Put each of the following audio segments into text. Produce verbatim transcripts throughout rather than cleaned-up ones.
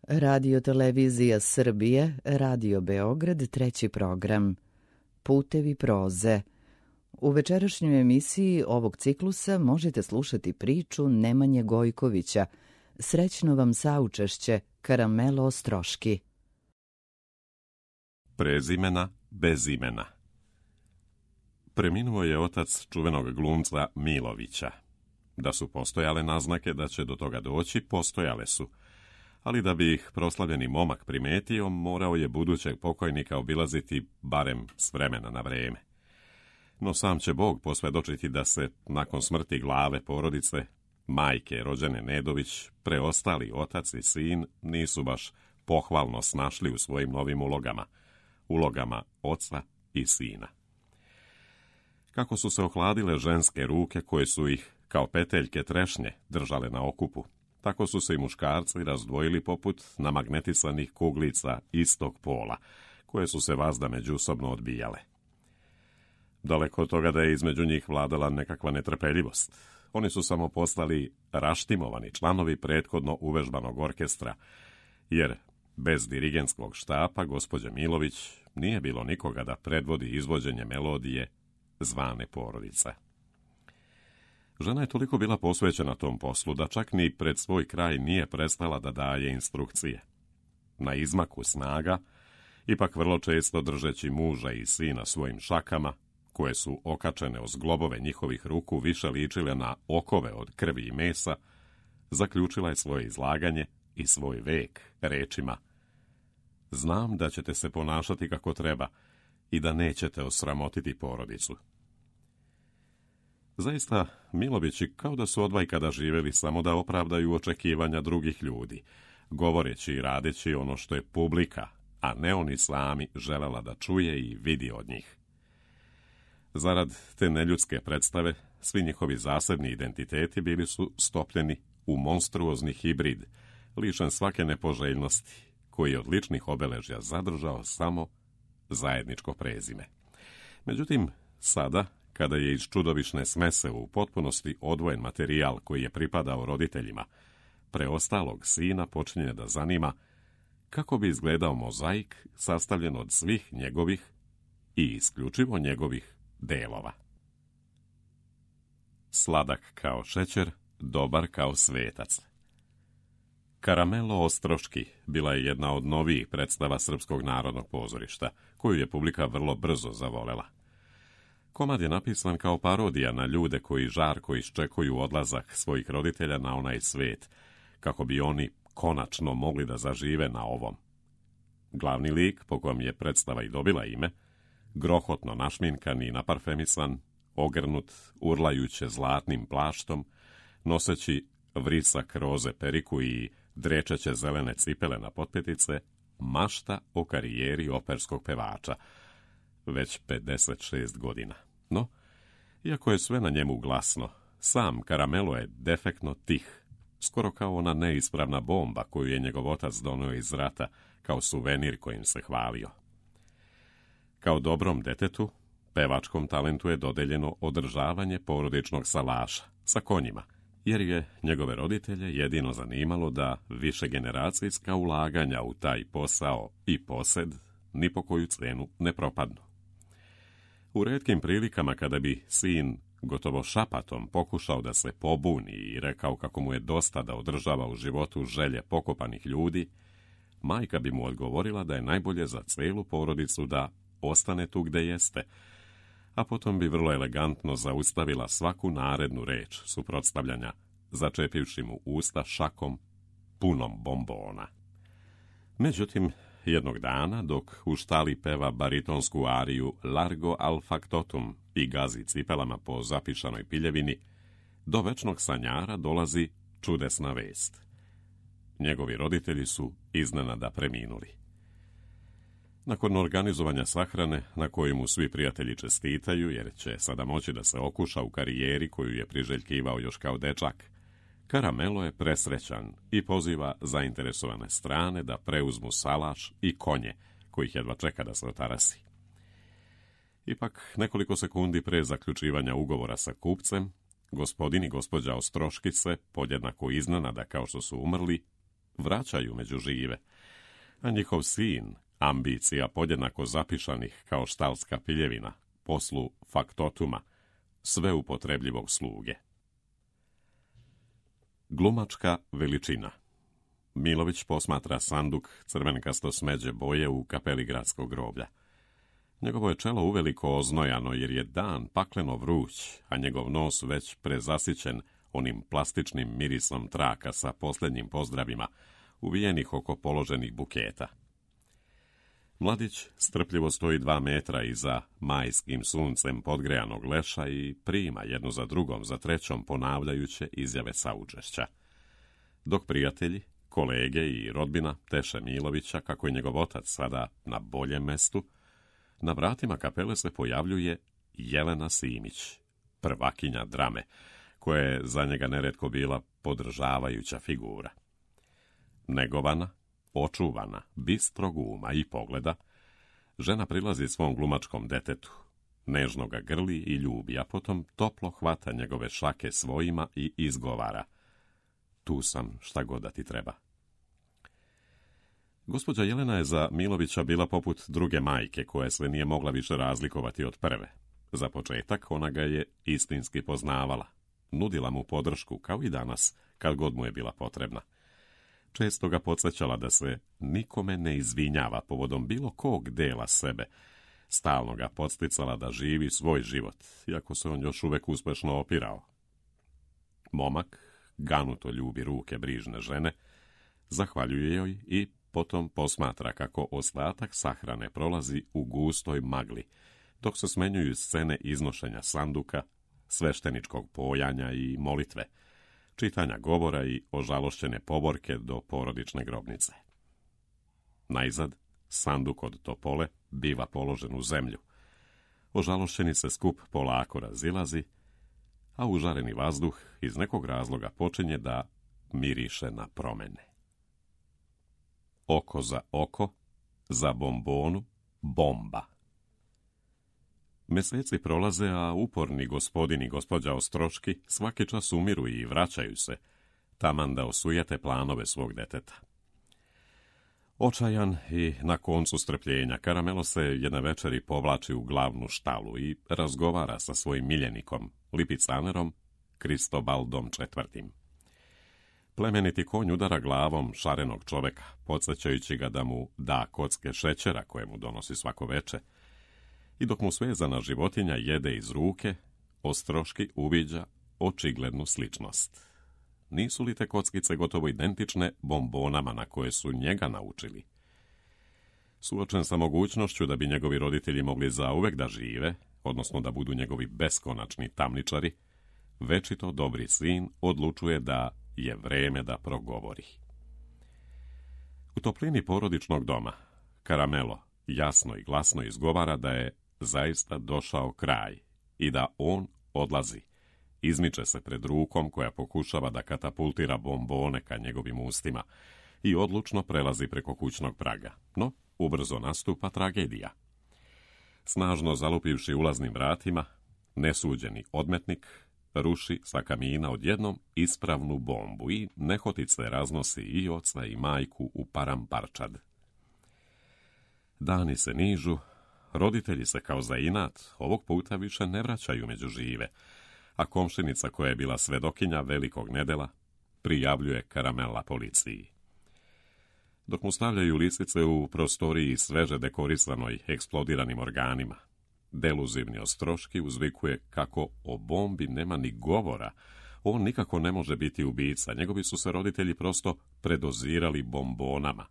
Radio Televizija Srbije, Radio Beograd, treći program. Putevi proze. U večerašnjoj emisiji ovog ciklusa možete slušati priču Nemanje Gojkovića. Srećno vam saučešće, Karamelo Ostroški. Prezimena bez imena. Preminuo je otac čuvenog glumca Milovića. Da su postojale naznake da će do toga doći, postojale su. Ali da bi ih proslavljeni momak primetio, morao je budućeg pokojnika obilaziti barem s vremena na vreme. No sam će Bog posvjedočiti da se, nakon smrti glave porodice, majke rođene Nedović, preostali otac i sin nisu baš pohvalno snašli u svojim novim ulogama, ulogama oca i sina. Kako su se ohladile ženske ruke koje su ih, kao peteljke trešnje, držale na okupu, tako su se i muškarci razdvojili poput namagnetisanih kuglica istog pola, koje su se vazda međusobno odbijale. Daleko od toga da je između njih vladala nekakva netrpeljivost. Oni su samo postali raštimovani članovi prethodno uvežbanog orkestra, jer bez dirigentskog štapa gospođe Milović nije bilo nikoga da predvodi izvođenje melodije zvane Porodica. Žena je toliko bila posvećena tom poslu da čak ni pred svoj kraj nije prestala da daje instrukcije. Na izmaku snaga, ipak vrlo često držeći muža i sina svojim šakama, koje su okačene o zglobove njihovih ruku više ličile na okove od krvi i mesa, zaključila je svoje izlaganje i svoj vek rečima: znam da ćete se ponašati kako treba i da nećete osramotiti porodicu. Zaista, Milovići kao da su odvajkada živjeli samo da opravdaju očekivanja drugih ljudi, govoreći i radeći ono što je publika, a ne oni sami, želela da čuje i vidi od njih. Zarad te neljudske predstave, svi njihovi zasebni identiteti bili su stopljeni u monstruozni hibrid, lišen svake nepoželjnosti, koji je od ličnih obeležja zadržao samo zajedničko prezime. Međutim, sada, kada je iz čudovišne smese u potpunosti odvojen materijal koji je pripadao roditeljima, preostalog sina počinje da zanima kako bi izgledao mozaik sastavljen od svih njegovih i isključivo njegovih delova. Sladak kao šećer, dobar kao svetac. Karamelo Ostroški bila je jedna od novijih predstava Srpskog narodnog pozorišta, koju je publika vrlo brzo zavolela. Komad je napisan kao parodija na ljude koji žarko iščekuju odlazak svojih roditelja na onaj svet, kako bi oni konačno mogli da zažive na ovom. Glavni lik, po kojem je predstava i dobila ime, grohotno našminkan i naparfemisan, ogrnut urlajuće zlatnim plaštom, noseći vrisak roze periku i drečeće zelene cipele na potpetice, mašta o karijeri operskog pevača, već pedeset šest godina. No, iako je sve na njemu glasno, sam Karamelo je defektno tih, skoro kao ona neispravna bomba koju je njegov otac donio iz rata kao suvenir kojim se hvalio. Kao dobrom detetu, pevačkom talentu je dodeljeno održavanje porodičnog salaša sa konjima, jer je njegove roditelje jedino zanimalo da višegeneracijska ulaganja u taj posao i posed ni po koju cenu ne propadnu. U retkim prilikama kada bi sin gotovo šapatom pokušao da se pobuni i rekao kako mu je dosta da održava u životu želje pokopanih ljudi, majka bi mu odgovorila da je najbolje za celu porodicu da ostane tu gde jeste, a potom bi vrlo elegantno zaustavila svaku narednu reč suprotstavljanja, začepivši mu usta šakom punom bombona. Međutim, jednog dana, dok u štali peva baritonsku ariju Largo al factotum i gazi cipelama po zapišanoj piljevini, do večnog sanjara dolazi čudesna vest. Njegovi roditelji su iznenada preminuli. Nakon organizovanja sahrane, na koju mu svi prijatelji čestitaju, jer će sada moći da se okuša u karijeri koju je priželjkivao još kao dečak, Karamelo je presrećan i poziva zainteresovane strane da preuzmu salaš i konje, kojih jedva čeka da se otarasi. Ipak, nekoliko sekundi pre zaključivanja ugovora sa kupcem, gospodin i gospođa Ostroški se, podjednako iznenada kao što su umrli, vraćaju među žive, a njihov sin, ambicija podjednako zapišanih kao štalska piljevina, poslu faktotuma, sve upotrebljivog sluge. Glumačka veličina. Milović posmatra sanduk crvenkasto smeđe boje u kapeli gradskog groblja. Njegovo je čelo uveliko oznojano jer je dan pakleno vruć, a njegov nos već prezasićen onim plastičnim mirisom traka sa posljednjim pozdravima, uvijenih oko položenih buketa. Mladić strpljivo stoji dva metra iza majskim suncem podgrejanog leša i prima jednu za drugom, za trećom ponavljajuće izjave saučešća. Dok prijatelji, kolege i rodbina teše Milovića, kako je njegov otac sada na boljem mestu, na vratima kapele se pojavljuje Jelena Simić, prvakinja drame, koja je za njega neretko bila podržavajuća figura. Negovana, očuvana, bistrog uma i pogleda, žena prilazi svom glumačkom detetu, nežno ga grli i ljubi, a potom toplo hvata njegove šake svojima i izgovara: tu sam, šta god da ti treba. Gospođa Jelena je za Milovića bila poput druge majke, koja se nije mogla više razlikovati od prve. Za početak ona ga je istinski poznavala, nudila mu podršku kao i danas, kad god mu je bila potrebna. Često ga podsjećala da se nikome ne izvinjava povodom bilo kog dela sebe. Stalno ga podsticala da živi svoj život, iako se on još uvek uspešno opirao. Momak ganuto ljubi ruke brižne žene, zahvaljuje joj i potom posmatra kako ostatak sahrane prolazi u gustoj magli, dok se smenjuju scene iznošenja sanduka, svešteničkog pojanja i molitve, čitanja govora i ožalošćene povorke do porodične grobnice. Najzad, sanduk od topole biva položen u zemlju. Ožalošćeni se skup polako razilazi, a užareni vazduh iz nekog razloga počinje da miriše na promene. Oko za oko, za bombonu, bomba. Meseci prolaze, a uporni gospodin i gospođa Ostroški svaki čas umiru i vraćaju se, taman da osujete planove svog deteta. Očajan i na koncu strpljenja, Karamelo se jedne večeri povlači u glavnu štalu i razgovara sa svojim miljenikom, lipicanerom Kristobaldom četvrtim. Plemeniti konj udara glavom šarenog čoveka, podsjećajući ga da mu da kocke šećera koje mu donosi svako veče, i dok mu svezana životinja jede iz ruke, Ostroški uviđa očiglednu sličnost. Nisu li te kockice gotovo identične bombonama na koje su njega naučili? Suočen sa mogućnošću da bi njegovi roditelji mogli zauvek da žive, odnosno da budu njegovi beskonačni tamničari, večito dobri sin odlučuje da je vreme da progovori. U toplini porodičnog doma Karamelo jasno i glasno izgovara da je zaista došao kraj i da on odlazi. Izmiče se pred rukom koja pokušava da katapultira bombone ka njegovim ustima i odlučno prelazi preko kućnog praga. No, ubrzo nastupa tragedija. Snažno zalupivši ulaznim vratima, nesuđeni odmetnik ruši sa kamina odjednom ispravnu bombu i nehotice raznosi i oca i majku u paramparčad. Dani se nižu, roditelji se kao za inat ovog puta više ne vraćaju među žive, a komšinica koja je bila svedokinja velikog nedela prijavljuje Karamela policiji. Dok mu stavljaju lisice u prostoriji sveže dekorisanoj eksplodiranim organima, deluzivni Ostroški uzvikuje kako o bombi nema ni govora, on nikako ne može biti ubica, njegovi su se roditelji prosto predozirali bombonama.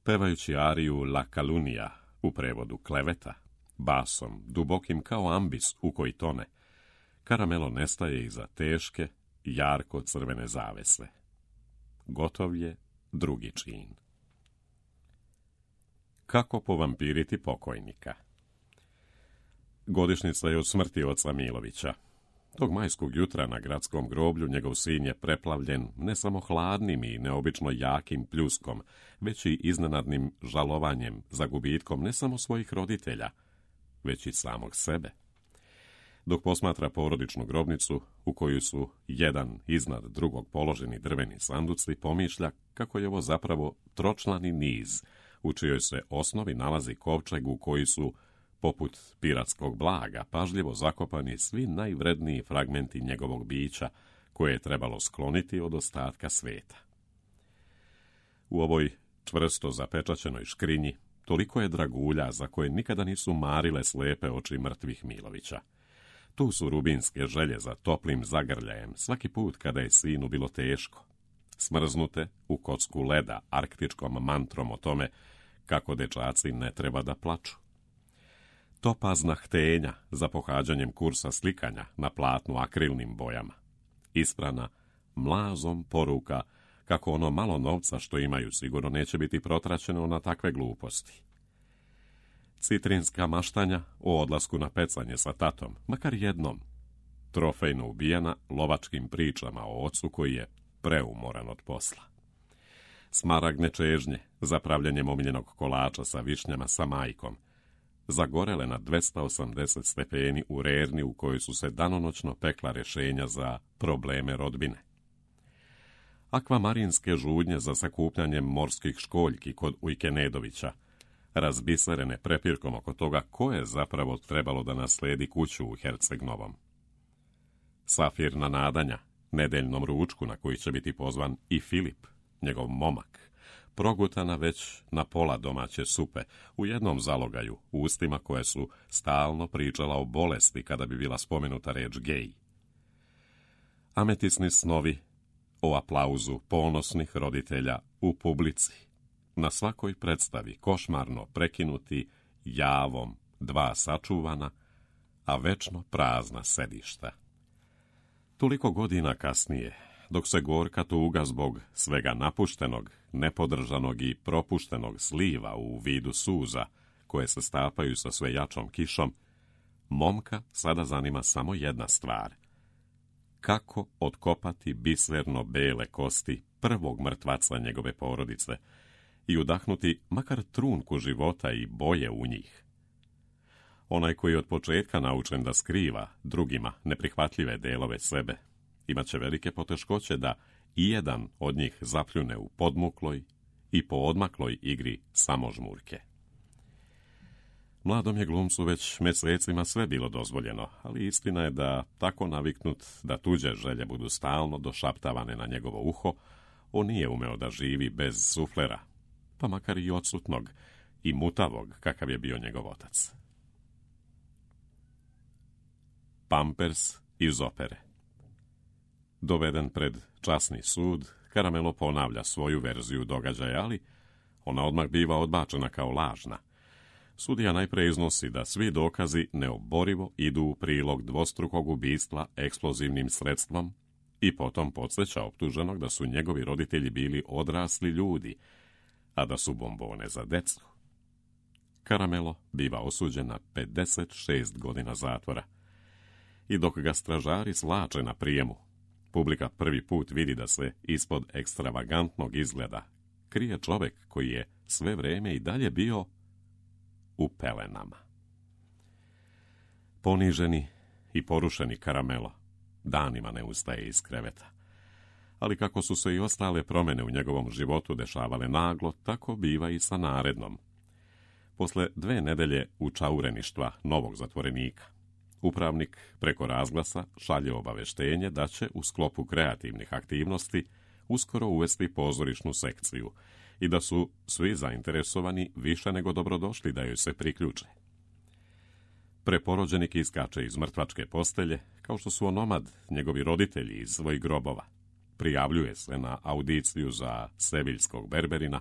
Pevajući ariju La Calunnia, u prevodu kleveta, basom, dubokim kao ambis u koji tone, Karamelo nestaje iza teške, jarko crvene zavese. Gotov je drugi čin. Kako povampiriti pokojnika? Godišnjica je od smrti oca Milovića. Tog majskog jutra na gradskom groblju njegov sin je preplavljen ne samo hladnim i neobično jakim pljuskom, već i iznenadnim žalovanjem za gubitkom ne samo svojih roditelja, već i samog sebe. dok posmatra porodičnu grobnicu u koju su jedan iznad drugog položeni drveni sanduci, pomišlja kako je ovo zapravo tročlani niz, u čijoj se osnovi nalazi kovčeg u koji su, poput piratskog blaga, pažljivo zakopani svi najvredniji fragmenti njegovog bića, koje je trebalo skloniti od ostatka sveta. U ovoj čvrsto zapečaćenoj škrinji toliko je dragulja za koje nikada nisu marile slepe oči mrtvih Milovića. Tu su rubinske želje za toplim zagrljajem svaki put kada je sinu bilo teško, smrznute u kocku leda arktičkom mantrom o tome kako dečaci ne treba da plaču. Topazna htenja za pohađanjem kursa slikanja na platnu akrilnim bojama, isprana mlazom poruka kako ono malo novca što imaju sigurno neće biti protraćeno na takve gluposti. Citrinska maštanja o odlasku na pecanje sa tatom, makar jednom, trofejno ubijena lovačkim pričama o ocu koji je preumoran od posla. Smaragne čežnje za pravljanjem omiljenog kolača sa višnjama sa majkom, zagorele na dvesta osamdeset stepeni u rerni u kojoj su se danonoćno pekla rješenja za probleme rodbine. Akvamarinske žudnje za sakupljanjem morskih školjki kod Ujkenedovića, razbiserene prepirkom oko toga ko je zapravo trebalo da nasledi kuću u Herceg-Novom. Safirna nadanja nedeljnom ručku na koji će biti pozvan i Filip, njegov momak, progutana već na pola domaće supe, u jednom zalogaju, ustima koje su stalno pričala o bolesti kada bi bila spomenuta reč gej. Ametisni snovi o aplauzu ponosnih roditelja u publici, na svakoj predstavi košmarno prekinuti javom dva sačuvana, a večno prazna sedišta. Toliko godina kasnije, dok se gorka tuga zbog svega napuštenog, nepodržanog i propuštenog sliva u vidu suza, koje se stapaju sa sve jačom kišom, momka sada zanima samo jedna stvar. Kako otkopati biserno bele kosti prvog mrtvaca njegove porodice i udahnuti makar trunku života i boje u njih. Onaj koji je od početka naučen da skriva drugima neprihvatljive delove sebe, imat će velike poteškoće da i jedan od njih zapljune u podmukloj i poodmakloj igri samožmurke. Mladom je glumcu već mesecima sve bilo dozvoljeno, ali istina je da, tako naviknut da tuđe želje budu stalno došaptavane na njegovo uho, on nije umeo da živi bez suflera, pa makar i odsutnog i mutavog kakav je bio njegov otac. Pampers iz opere. Doveden pred časni sud, Caramelo ponavlja svoju verziju događaja, ali ona odmah biva odbačena kao lažna. Sudija najpre iznosi da svi dokazi neoborivo idu u prilog dvostrukog ubistva eksplozivnim sredstvom i potom podsjeća optuženog da su njegovi roditelji bili odrasli ljudi, a da su bombone za decu. Caramelo biva osuđen na pedeset šest godina zatvora. I dok ga stražari slače na prijemu, publika prvi put vidi da se ispod ekstravagantnog izgleda krije čovjek koji je sve vrijeme i dalje bio u pelenama. Poniženi i porušeni Caramelo danima ne ustaje iz kreveta. Ali kako su se i ostale promjene u njegovom životu dešavale naglo, tako biva i sa narednom. Posle dve nedelje učaureništva novog zatvorenika, upravnik preko razglasa šalje obaveštenje da će u sklopu kreativnih aktivnosti uskoro uvesti pozorišnu sekciju i da su svi zainteresovani više nego dobrodošli da joj se priključe. Preporođenik iskače iz mrtvačke postelje, kao što su onomad njegovi roditelji iz svojih grobova. Prijavljuje se na audiciju za seviljskog berberina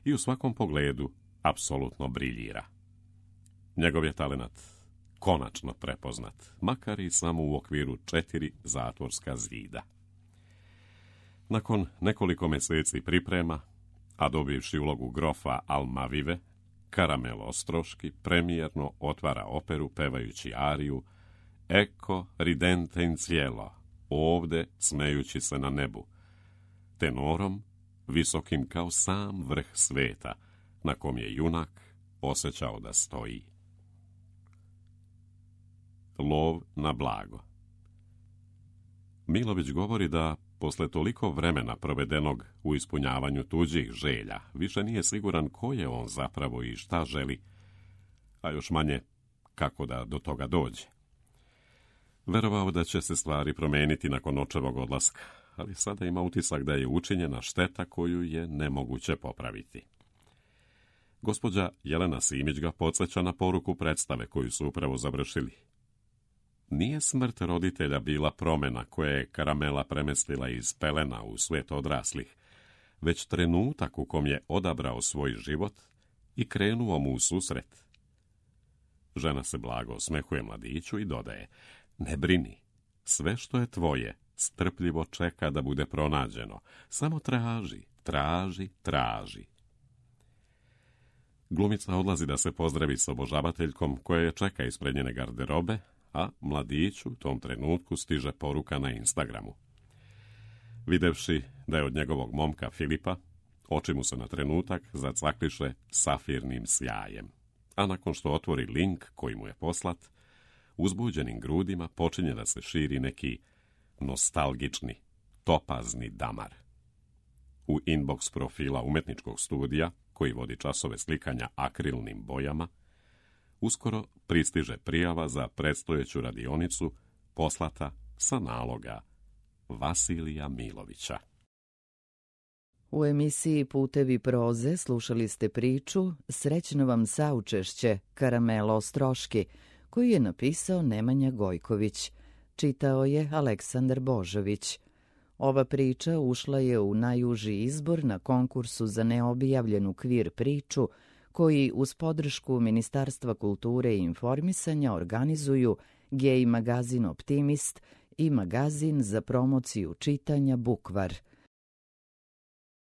i u svakom pogledu apsolutno briljira. Njegov je talenat konačno prepoznat, makar i samo u okviru četiri zatvorska zida. Nakon nekoliko mjeseci priprema, a dobivši ulogu grofa Almavive, Caramelo Ostroški premijerno otvara operu pevajući ariju Ecco ridente in cielo, ovde smejući se na nebu, tenorom visokim kao sam vrh sveta, na kom je junak osjećao da stoji. Lov na blago. Milović govori da, posle toliko vremena provedenog u ispunjavanju tuđih želja, više nije siguran ko je on zapravo i šta želi, a još manje kako da do toga dođe. Verovao da će se stvari promeniti nakon očevog odlaska, ali sada ima utisak da je učinjena šteta koju je nemoguće popraviti. Gospođa Jelena Simić ga podsjeća na poruku predstave koju su upravo završili. Nije smrt roditelja bila promjena koja je Karamela premestila iz pelena u svijet odraslih, već trenutak u kom je odabrao svoj život i krenuo mu u susret. Žena se blago osmehuje mladiću i dodaje: ne brini, sve što je tvoje strpljivo čeka da bude pronađeno. Samo traži, traži, traži. Glumica odlazi da se pozdravi s obožavateljkom koja je čeka ispred njene garderobe, a mladiću u tom trenutku stiže poruka na Instagramu. Videvši da je od njegovog momka Filipa, oči mu se na trenutak zacakliše safirnim sjajem, a nakon što otvori link koji mu je poslat, uzbuđenim grudima počinje da se širi neki nostalgični, topazni damar. U inbox profila umetničkog studija, koji vodi časove slikanja akrilnim bojama, uskoro pristiže prijava za predstojeću radionicu poslata sa naloga Vasilija Milovića. U emisiji Putevi proze slušali ste priču Srećno vam saučešće Karamelo Ostroški, koju je napisao Nemanja Gojković. Čitao je Aleksandar Božović. Ova priča ušla je u najuži izbor na konkursu za neobjavljenu kvir priču, koji uz podršku Ministarstva kulture i informisanja organizuju Gej magazin Optimist i magazin za promociju čitanja Bukvar.